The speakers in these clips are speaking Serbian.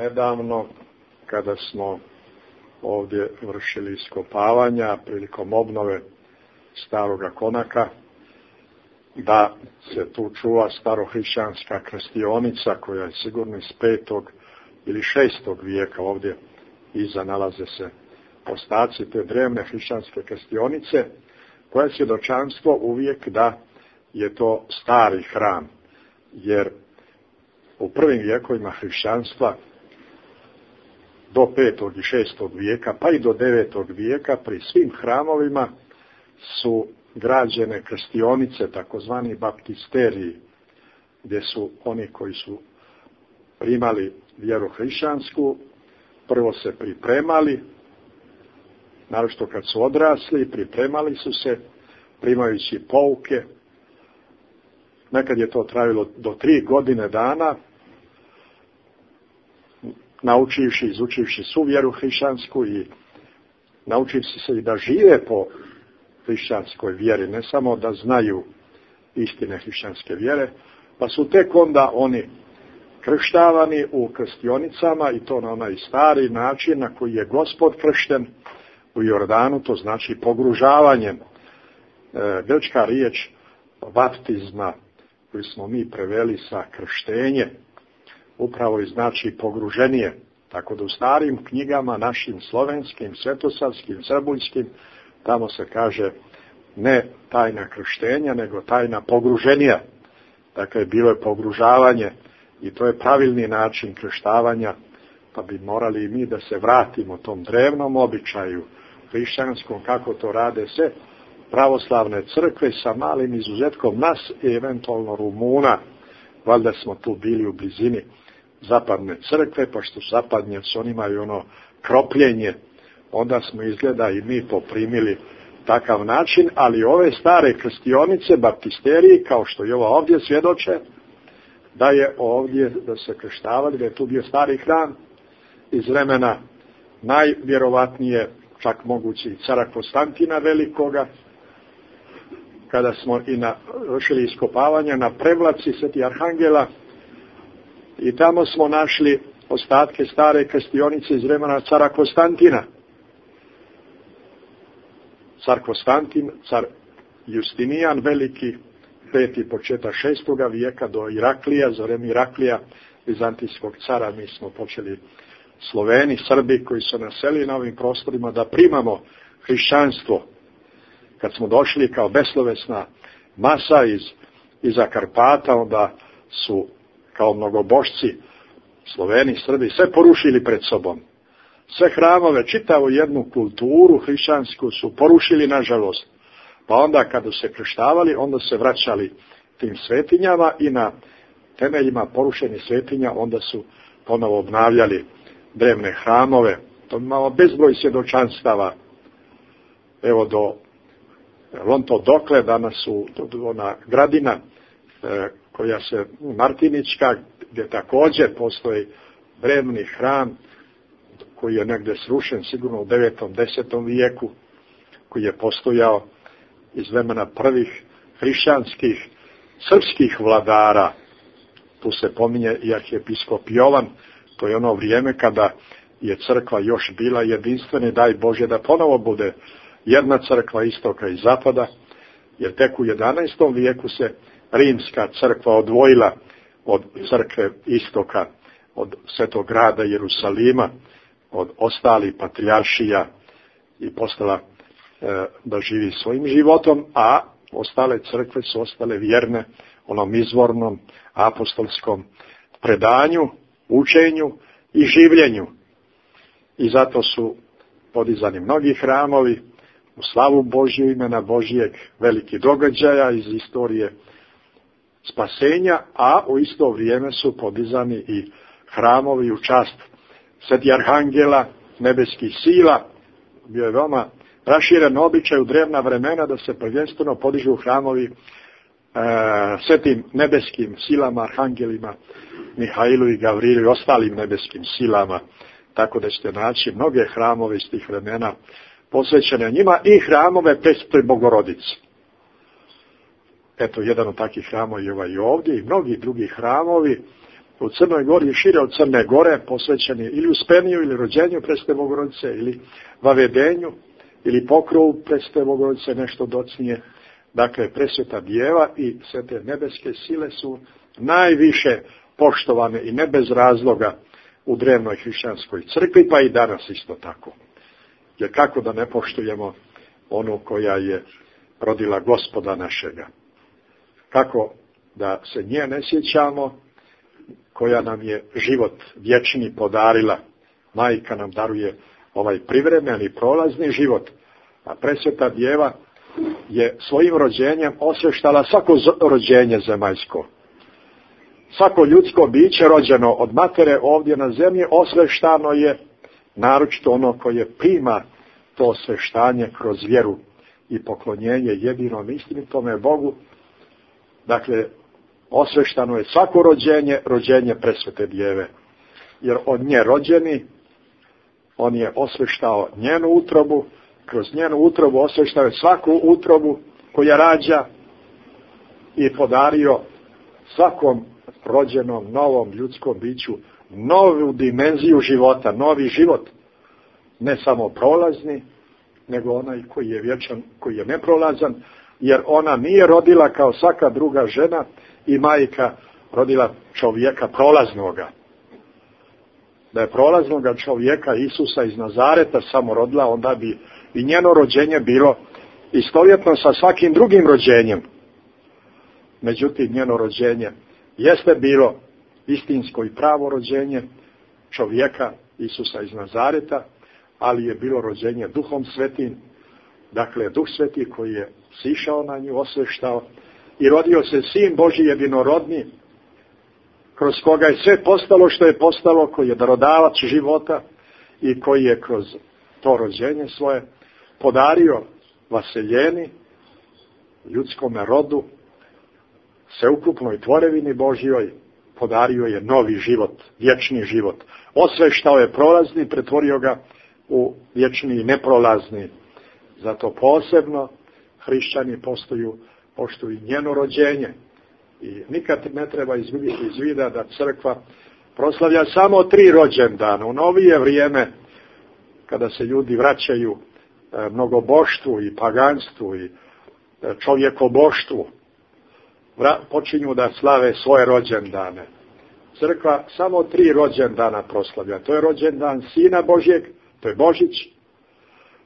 nedavno kada smo ovdje vršili iskopavanja prilikom obnove staroga konaka, da se tu čuva starohrišćanska krstionica koja je sigurno iz 5. ili 6. vijeka. Ovdje iza nalaze se ostaci te drevne hrišćanske krstionice, koja je svjedočanstvo uvijek da je to stari hram, jer u prvim vijekovima hrišćanstva do 5. i 6. vijeka, pa i do 9. vijeka, pri svim hramovima su građene krstionice, takozvani baptisteriji, gdje su oni koji su primali vjeru hrišćansku, prvo se pripremali, naročito kad su odrasli, pripremali su se, primajući pouke. Nekad je to trajalo do 3 godine dana, naučivši, izučivši svu vjeru hrišćansku i naučivši se i da žive po hrišćanskoj vjeri, ne samo da znaju istine hrišćanske vjere, pa su tek onda oni krštavani u krštionicama, i to na onaj stari način na koji je Gospod kršten u Jordanu, to znači pogružavanjem. Grčka riječ baptizma, koju smo mi preveli sa krštenje, upravo i znači pogruženje. Tako da u starim knjigama, našim slovenskim, svetosavskim, srbuljskim, tamo se kaže ne tajna krštenja, nego tajna pogruženja. Dakle, bilo je pogružavanje i to je pravilni način krštavanja, pa bi morali i mi da se vratimo tom drevnom običaju hrišćanskom, kako to rade sve pravoslavne crkve, sa malim izuzetkom nas i eventualno Rumuna. Valjda smo tu bili u blizini zapadne crkve, pa što zapadnjaci, oni imaju ono kropljenje, onda smo izgleda i mi poprimili takav način, ali ove stare krstionice, baptisteriji, kao što je ova ovdje svjedoče, da je ovdje, da se krštavali, da je tu bio stari hram iz vremena najvjerovatnije, čak mogući i cara Konstantina Velikoga, kada smo i vršili iskopavanja na prevlaci Sveti Arhangela, i tamo smo našli ostatke stare krstionice iz vremena cara Konstantina. Car Konstantin, car Justinijan Veliki, 5. početak 6. vijeka do Iraklija, za vreme Iraklija, vizantijskog cara, mi smo počeli Sloveni, Srbi koji su naselili na ovim prostorima da primamo hrišćanstvo. Kad smo došli kao beslovesna masa iza Karpata, onda su kao mnogobošci Sloveni, Srbi sve porušili pred sobom. Sve hramove, čitavu jednu kulturu hrišćansku su porušili, nažalost. Pa onda kada se krštavali, onda se vraćali tim svetinjama i na temeljima porušenih svetinja onda su ponovo obnavljali drevne hramove. To imamo bezbroj svjedočanstava. Evo dokle danas ona gradina koja se Martinička, gdje također postoji drevni hram koji je negdje srušen sigurno u 9. 10. vijeku, koji je postojao iz vremena prvih hrišćanskih srpskih vladara. Tu se pominje i arhijepiskop Jovan. To je ono vrijeme kada je crkva još bila jedinstvena, daj Bože da ponovo bude jedna crkva istoka i zapada, jer tek u 11. vijeku se rimska crkva odvojila od crkve istoka, od Svetog grada Jerusalima, od ostalih patrijaršija, i postala da živi svojim životom, a ostale crkve su ostale vjerne onom izvornom apostolskom predanju, učenju i življenju. I zato su podizani mnogi hramovi u slavu Božju, imena Božijeg, veliki događaja iz istorije spasenja, a u isto vrijeme su podizani i hramovi u čast Sveti Arhangela, nebeskih sila. Bio je veoma raširen običaj u drevna vremena da se prvenstveno podižu hramovi svetim nebeskim silama, arhangelima, Mihailu i Gavrilu i ostalim nebeskim silama. Tako da ćete naći mnoge hramove iz tih vremena posvećene njima i hramove Presvetoj Bogorodici. Eto, jedan od takvih hramova je ovaj ovdje i mnogi drugi hramovi u Crnoj Gori i šire od Crne Gore posvećeni ili Uspeniju ili rođenju Presvete Bogorodice ili Vavedenju ili pokrovu Presvete Bogorodice nešto docnije. Dakle, Presveta Djeva i sve te nebeske sile su najviše poštovane i ne bez razloga u drevnoj hrišćanskoj crkvi, pa i danas isto tako. Jer kako da ne poštujemo onu koja je rodila Gospoda našega? Kako da se nje ne sjećamo, koja nam je život vječni podarila? Majka nam daruje ovaj privremeni, prolazni život, a Presveta Djeva je svojim rođenjem osvještala svako rođenje zemaljsko. Svako ljudsko biće rođeno od matere ovdje na zemlji osveštano je, naročito ono koje prima to osveštanje kroz vjeru i poklonjenje jedinom istinitome Bogu. Dakle, osveštano je svako rođenje Presvete Djeve. Jer od nje rođeni, on je osveštao njenu utrobu, kroz njenu utrobu osveštao je svaku utrobu koja rađa i podario svakom rođenom novom ljudskom biću novu dimenziju života, novi život. Ne samo prolazni, nego onaj koji je vječan, koji je neprolazan, jer ona nije rodila kao svaka druga žena i majka rodila čovjeka prolaznoga. Da je prolaznoga čovjeka Isusa iz Nazareta samo rodila, onda bi i njeno rođenje bilo istovjetno sa svakim drugim rođenjem. Međutim, njeno rođenje jeste bilo istinsko i pravo rođenje čovjeka Isusa iz Nazareta, ali je bilo rođenje Duhom Svetim, dakle Duh Sveti koji je sišao na nju, osveštao i rodio se Sin Božji jedinorodni, kroz koga je sve postalo što je postalo, koji je darodavac života i koji je kroz to rođenje svoje podario vaseljeni, ljudskome rodu, sveukupnoj tvorevini Božjoj, podario je novi život, vječni život. Osveštao je prolazni, pretvorio ga u vječni i neprolazni. Zato posebno hrišćani poštuju njeno rođenje. I nikad ne treba izgubiti iz vida da crkva proslavlja samo 3 rođendana. U novije vrijeme, kada se ljudi vraćaju mnogoboštvu i paganstvu i čovjekoboštvu, počinju da slave svoje rođendane. Crkva samo 3 rođendana proslavlja. To je rođendan Sina Božjeg, to je Božić,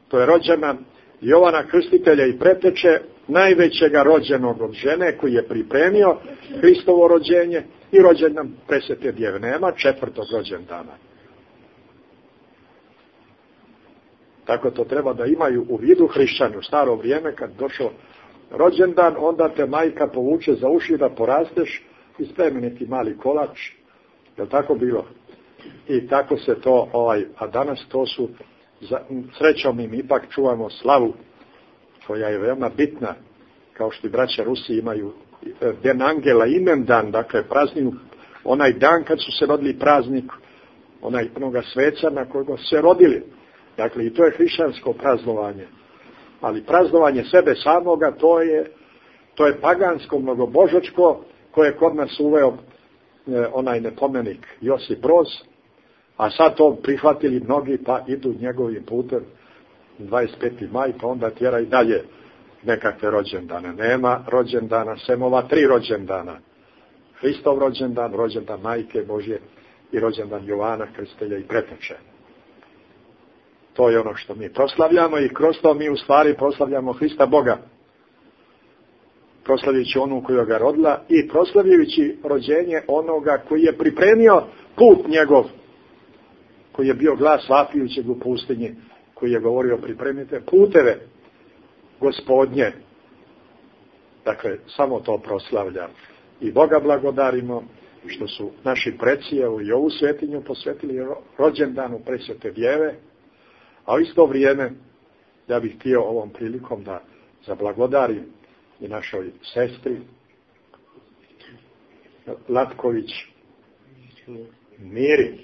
to je rođendan Jovana Krstitelja i preteče, najvećega rođenog od žene koji je pripremio Hristovo rođenje, i rođendan Presvete Djeve. Nema 4. rođendana. Tako to treba da imaju u vidu hrišćani. U staro vrijeme kad došao rođendan, onda te majka povuče za uši da porasteš i spremi neki mali kolač. Je li tako bilo? I tako se to, a danas to su, srećom mi ipak čuvamo slavu koja je veoma bitna, kao što i braća Rusi imaju Den Angela imendan, dakle praznik, onaj dan kad su se rodili praznik, onoga sveca na kojeg su se rodili. Dakle, i to je hrišćansko praznovanje. Ali praznovanje sebe samoga, to je pagansko, mnogobožačko, koje je kod nas uveo onaj nepomenik Josip Broz, a sad to prihvatili mnogi, pa idu njegovim putem 25. maj, pa onda tjera i dalje nekakve rođendane. Nema rođendana, sem ova 3 rođendana. Hristov rođendan, rođendan Majke Božje i rođendan Jovana Krstitelja i preteče. To je ono što mi proslavljamo i kroz to mi u stvari proslavljamo Hrista Boga. Proslavljajući onu koja ga rodila i proslavljajući rođenje onoga koji je pripremio put njegov, koji je bio glas vapijućeg u pustinji, koji je govorio pripremite puteve Gospodnje. Dakle, samo to proslavljam. I Boga blagodarimo što su naši preci i ovu svetinju posvetili rođendanu Presvete Djeve, a u isto vrijeme ja bih htio ovom prilikom da zablagodarim i našoj sestri Latković Miri,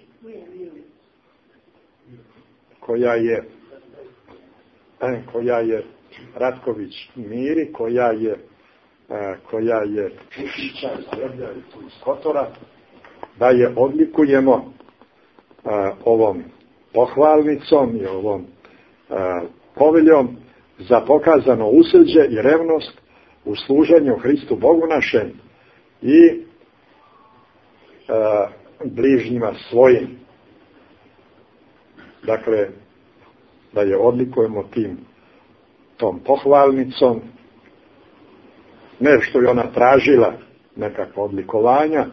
koja je Ratković Miri, koja je iz Kotora, da je odlikujemo ovom pohvalnicom i ovom poveljom za pokazano usrđe i revnost u služenju Hristu Bogu našem i bližnjima svojim. Dakle, da je odlikujemo tom pohvalnicom, ne što je ona tražila nekakva odlikovanja,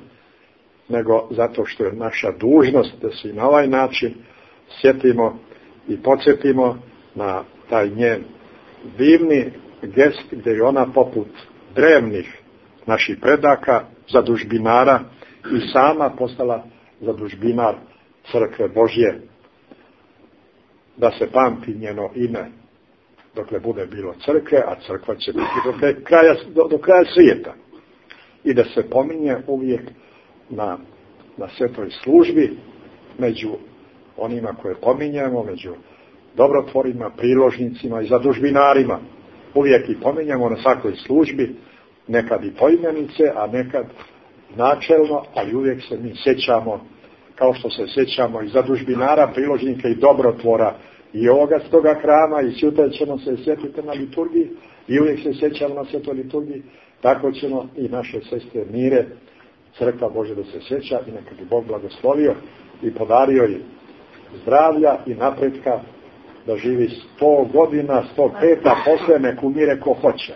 nego zato što je naša dužnost da se i na ovaj način sjetimo i podsjetimo na taj njen divni gest gdje je ona poput drevnih naših predaka, zadužbinara, i sama postala zadužbinar crkve Božje. Da se pamti njeno ime dokle bude bilo crkve, a crkva će biti do kraja svijeta. I da se pominje uvijek na svetoj službi među onima koje pominjemo, među dobrotvorima, priložnicima i zadužbinarima. Uvijek i pominjamo na svakoj službi, nekad i poimenice, a nekad načelno, ali uvijek se mi sjećamo, kao što se sjećamo i zadužbinara, priložnika i dobrotvora i ovoga stoga hrama, i sutra ćemo se sjetiti na liturgiji i uvijek se sjećamo na svetoj liturgiji, tako ćemo i naše sestre Mire, crkva Bože da se sjeća, i neka bi Bog blagoslovio i podario je zdravlja i napretka, da živi 100 godina, 105, a posle nek umire ko hoće.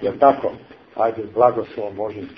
Jer tako? Ajde, blagoslovom Božim.